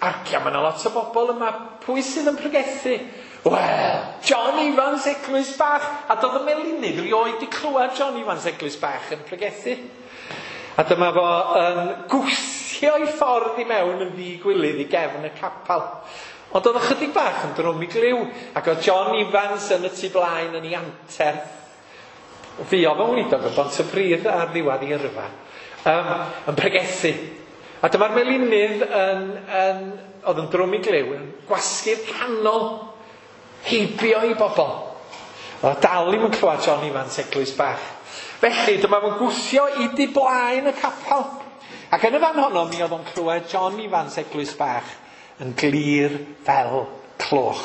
argia, mae yna lot o bobl yma, pwy sydd yn pregethu? Wel, John Evans Eglwys Bach. A doedd y melinydd rioed di clywed John Evans Eglwys Bach yn pregethu. A dyma fo yn gwthio ei ffordd i mewn yn ddigwilydd i gefn y capel. Ond oedd ychydig bach yn drwm i glyw, ac oedd John Evans yn y tu blaen yn ei anterth. Fuodd o'n weinidog yn Bontypridd ar ddiwedd ei yrfa, um, yn pregethu. A dyma'r melinydd yn, yn, oedd yn drwm i glyw, yn gwasgu'r canol heibio i bobl. Oedd dal i'm yn clywed John Evans Eglwys Bach. Felly, dyma fo'n gwthio i du blaen y capel. Ac yn y fan honno, mi oedd o'n clywed John Evans Eglwys Bach yn glir fel cloch.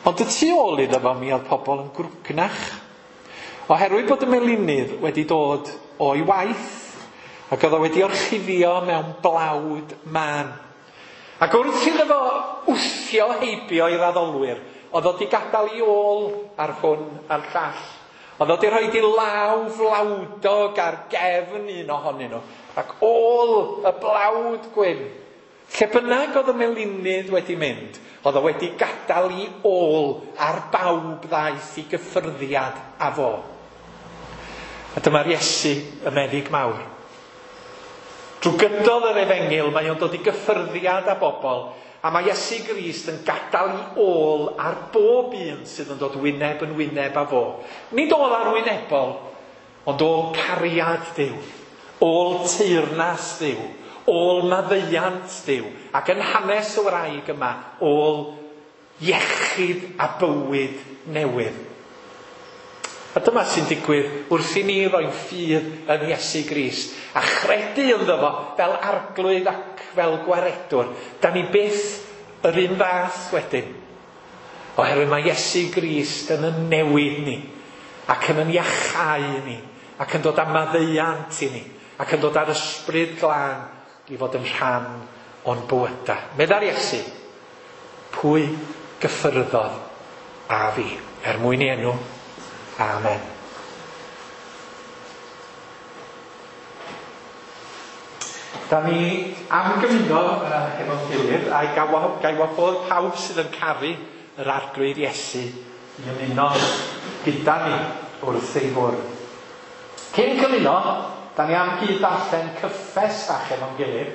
Ond y tu ôl iddo fo, mi oedd pobl yn grwgnach. Oherwydd bod y melinydd wedi dod o'i waith, ac oedd o wedi orchuddio mewn blawd mân. Ac wrth iddo fo wthio heibio i'r addolwyr, oedd o wedi gadael ei ôl ar hwn a'r llall. Oedd o wedi rhoi ei law flawdog ar gefn un ohonyn nhw, ac ôl y blawd gwyn. Lle bynnag oedd y melinydd wedi mynd, oedd o wedi gadael ei ôl ar bawb ddaeth i gyffyrddiad â fo. A dyma'r Iesu, y meddyg mawr. Drwy gydol yr efengyl, mae o'n dod i gyffyrddiad â bobl, a mae Iesu Grist yn gadael ei ôl ar bob un sydd yn dod wyneb yn wyneb â fo. Nid ôl arwynebol, ond ôl cariad Duw, ôl teyrnas Duw, ôl maddeuant Duw, ac yn hanes y wraig yma, ôl iechyd a bywyd newydd. A dyma sy'n digwydd wrth i ni roi'n ffydd yn Iesu Grist a chredu ynddo fo fel arglwydd ac fel gwaredwr. Da ni byth yr un fath wedyn. Oherwydd mae Iesu Grist yn yn newid ni, ac yn yn iachau ni, ac yn dod â maddeuant i ni, ac yn dod â'r ysbryd glân i fod yn rhan o'n bywydau. Meddai'r Iesu, pwy gyffyrddodd a fi, er mwyn ei enw. Amen. Da ni am gymuno uh, hefo'n gilydd, a'i gai wahodd pawb sydd yn caru yr Arglwydd Iesu i ymuno gyda ni wrth ei fwrdd. Cyn cymuno, da ni am gyd darllen cyffes fach efo'n gilydd.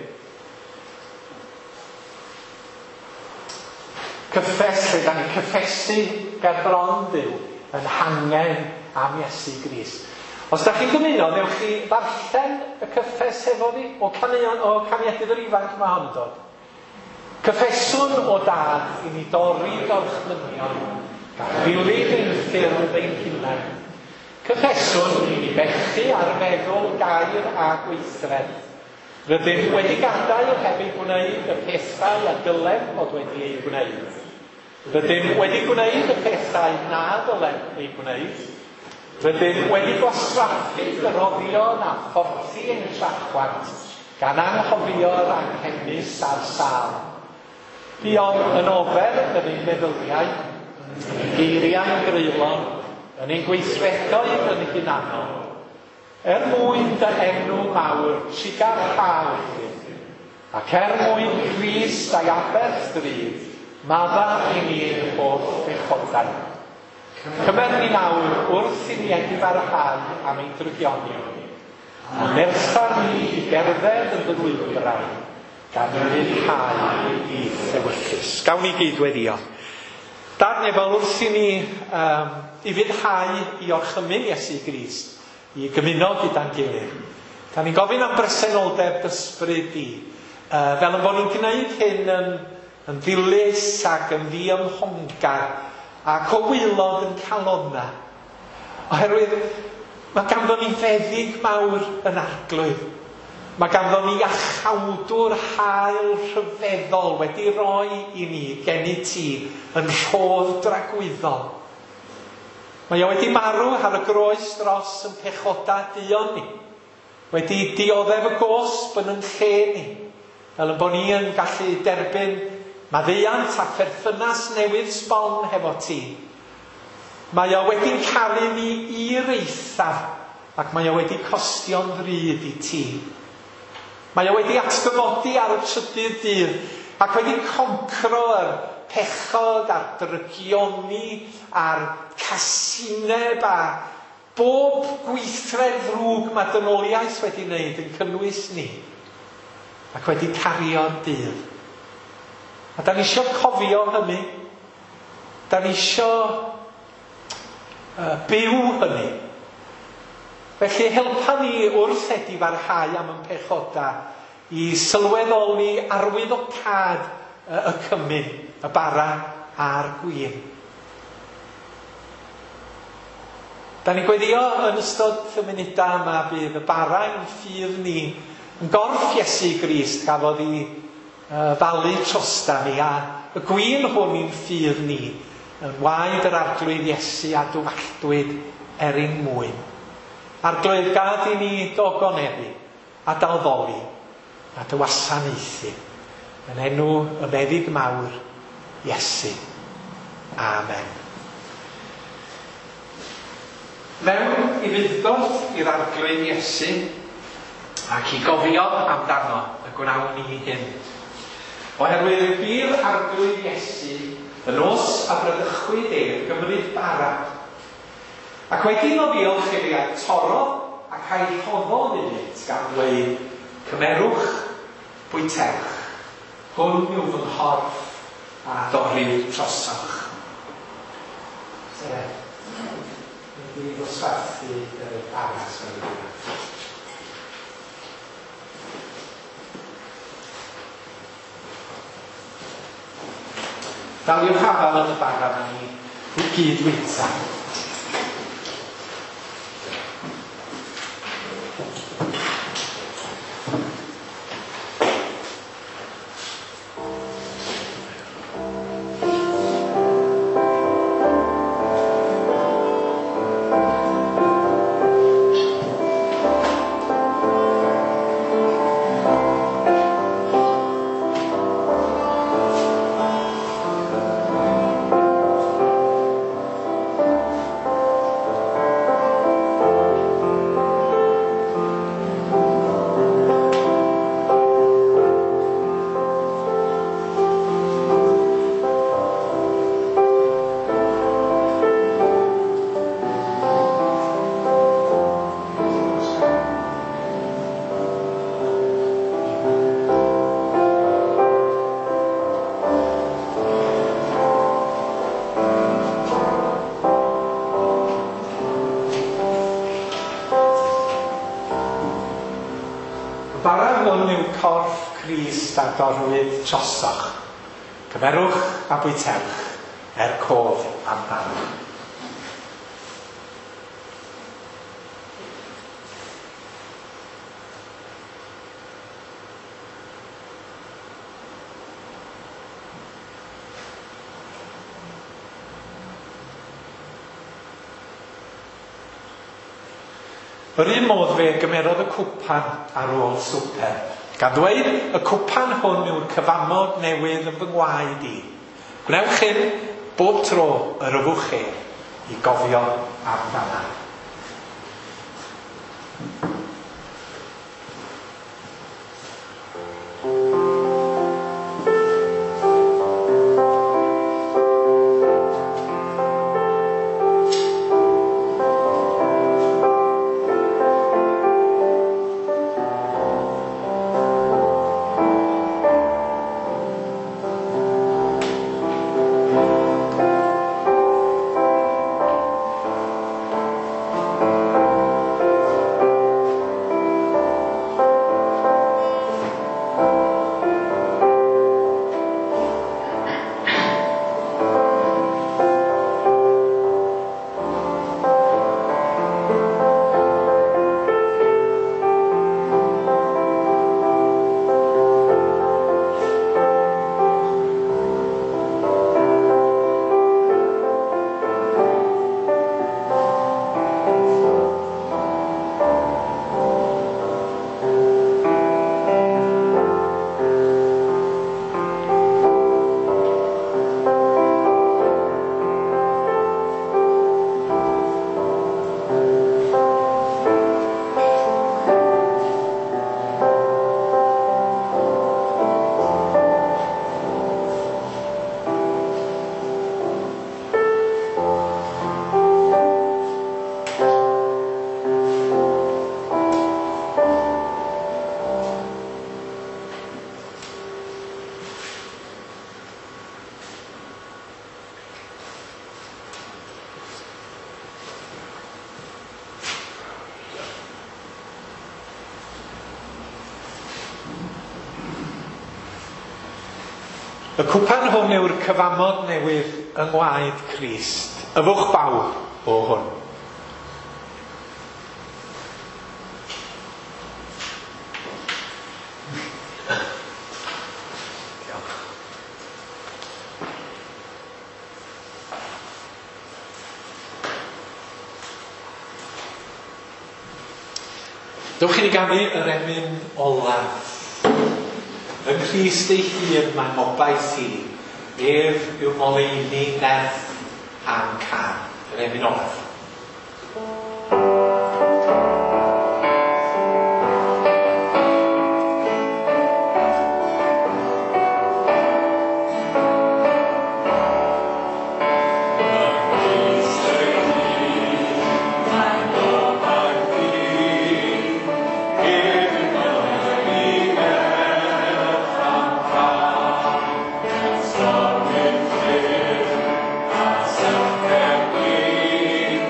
Cyffes lle da ni'n cyffesu ger bron Duw yn hangen am Iesu Grist. Os da chi'n dymuno, newch chi ddarllen y cyffes efo fi o caneuon, o Caniadydd yr Ifanc mae hon yn dod. Cyffeswn o dad i ni dorri gorchmynion, gan ddilyn ein ffyrdd ein hunain. Cyffeswn i ni bechu ar feddwl, gair a gweithred. Rydym wedi gadael heb ei gwneud y pethau a dylem fod wedi ei gwneud. Rydym wedi gwneud y pethau na dylem ei gwneud. Rydym wedi gwastraffu dyroddion a phorthi ein trachwant, gan anghofio'r anghenus a'r sâl. Buom yn ofer yn ein meddyliau, yn ein geiriau'n greulon, yn ein gweithredoedd yn hunanol. Er mwyn dy enw mawr, trugarha wrthym, ac er mwyn Crist a'i aberth drud, madda i ni'n holl bechodau. Cymer ni nawr wrth i ni edifarhau am ein drygionion, a nertha ni i gerdded yn dy lwybrau, gan ufuddhau i'th ewyllys. Gawn ni gyd weddio. Dad nefol, wrth i ni um, ufuddhau i orchymyn Iesu Grist, i gymuno gyda'n gilydd. Da ni'n gofyn am bresenoldeb ysbryd di, uh, fel yn bod ni'n gwneud hyn yn, yn ddilys ac yn ddiymhongar ac o waelod yn calonna. Oherwydd mae ganddo ni feddyg mawr yn Arglwydd. Mae ganddo ni iachawdwr hael rhyfeddol wedi roi i ni gennyt ti yn rhodd dragwyddol. Mae o wedi marw ar y groes dros yn pechodau duon ni. Wedi dioddef y gosb yn yn lle ni. Fel yn bod ni yn gallu derbyn maddeuant a pherthynas newydd sbon hefo ti. Mae o wedi'n caru ni i'r eithaf ac mae o wedi costio'n ddrud i ti. Mae o wedi atgyfodi ar y trydydd dydd ac wedi concro yr pechod a'r drygioni a'r casineb a bob gweithred ddrwg mae dynoliaeth wedi wneud yn cynnwys ni ac wedi cario'r dydd. A da ni isio cofio hynny. Da ni isio uh, byw hynny. Felly helpa ni wrth edifarhau am yn pechodau i sylweddoli arwyddocâd y cymun, y bara a'r gwin. Da ni'n gweddio yn ystod y munudau yma bydd y bara ein ffydd ni yn gorff Iesu Grist gafodd ei uh, falu trosta ni, a y gwin hwn i'n ffydd ni yn waed yr Arglwydd Iesu a dywalltwyd er ein mwyn. Arglwydd, gad i ni dogoneddu a dalddoli a dy wasanaethu yn enw y meddyg mawr Iesu. Amen. Mewn ufudd-dod i'r Arglwydd Iesu ac i gofio amdano y gwnawn ni hyn. Oherwydd bu'r Arglwydd Iesu y nos a bradychwyd ef gymryd bara, ac wedi iddo ddiolch iddi a'i torrodd ac a'i rhoddodd iddynt gan ddweud, cymerwch, bwytewch, hwn yw fy nghorff a dorrir trosoch. Sef, wedi ddosbarthu y bara sef. Daliwch hafal yn y bara ma ni i gyd wyta. Thank corff Crist a dorrwyd trosoch. Cymerwch a bwytewch er cof amdano. Yr un modd fe gymerodd y cwpan ar ôl swper, gan ddweud, y cwpan hwn yw'r cyfamod newydd yn fy ngwaed i. Gwnewch hyn bob tro yr yfwch chi i gofio amdana. Y cwpan hwn yw'r cyfamod newydd yng ngwaed Crist. Yfwch bawb o hwn. Diolch. Dewch i ni ganu yr emyn olaf. Yng Nghrist ei hun mae ngobaith i, ef yw ngoleuni nerth a'n cân. Yr emyn olaf. Stop in fear, I self can be.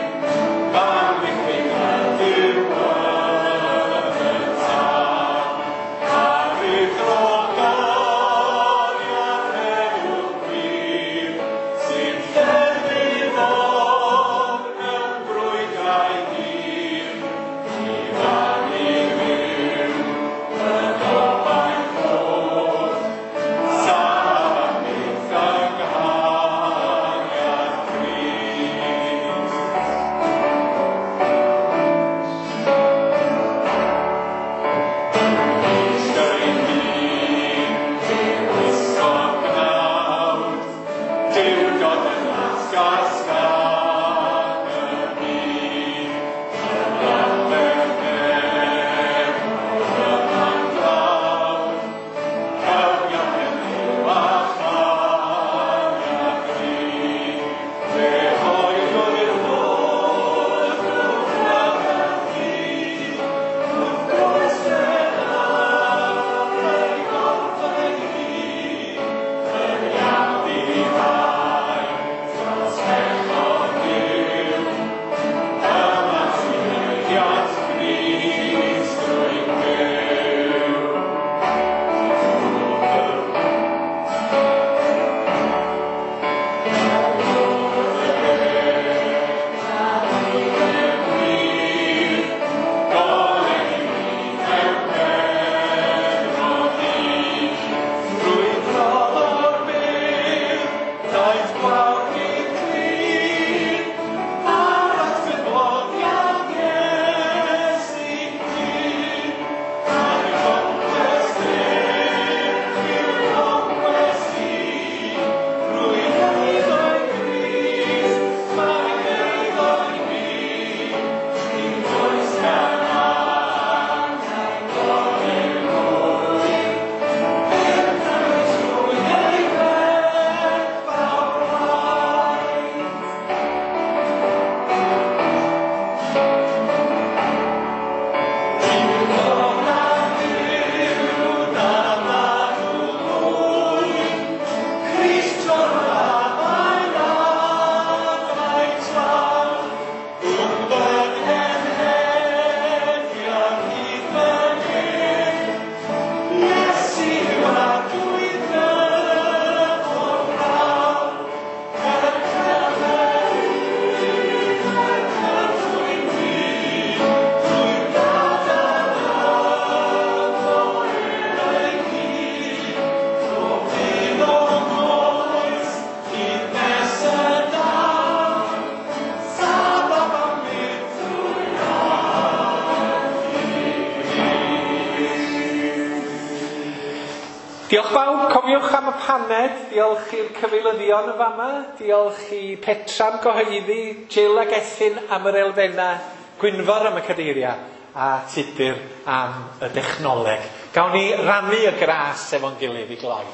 Diolch bawb, cofiwch am y paned, diolch i'r cyfeilyddion yn fama, diolch i Petra am gyhoeddi, Jill ac Ethyn am yr elfennau, Gwynfor am y cadeiriau, a Tudur am y dechnoleg. Gawn ni rannu y gras efo'n gilydd i gloi.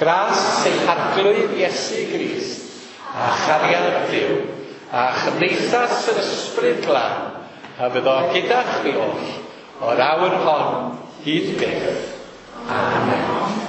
Gras ein Harglwydd Iesu Grist, a chariad Duw, a chymdeithas yr Ysbryd Glân, a fyddo gyda chwi oll, o'r awr hon hyd byth. Amen.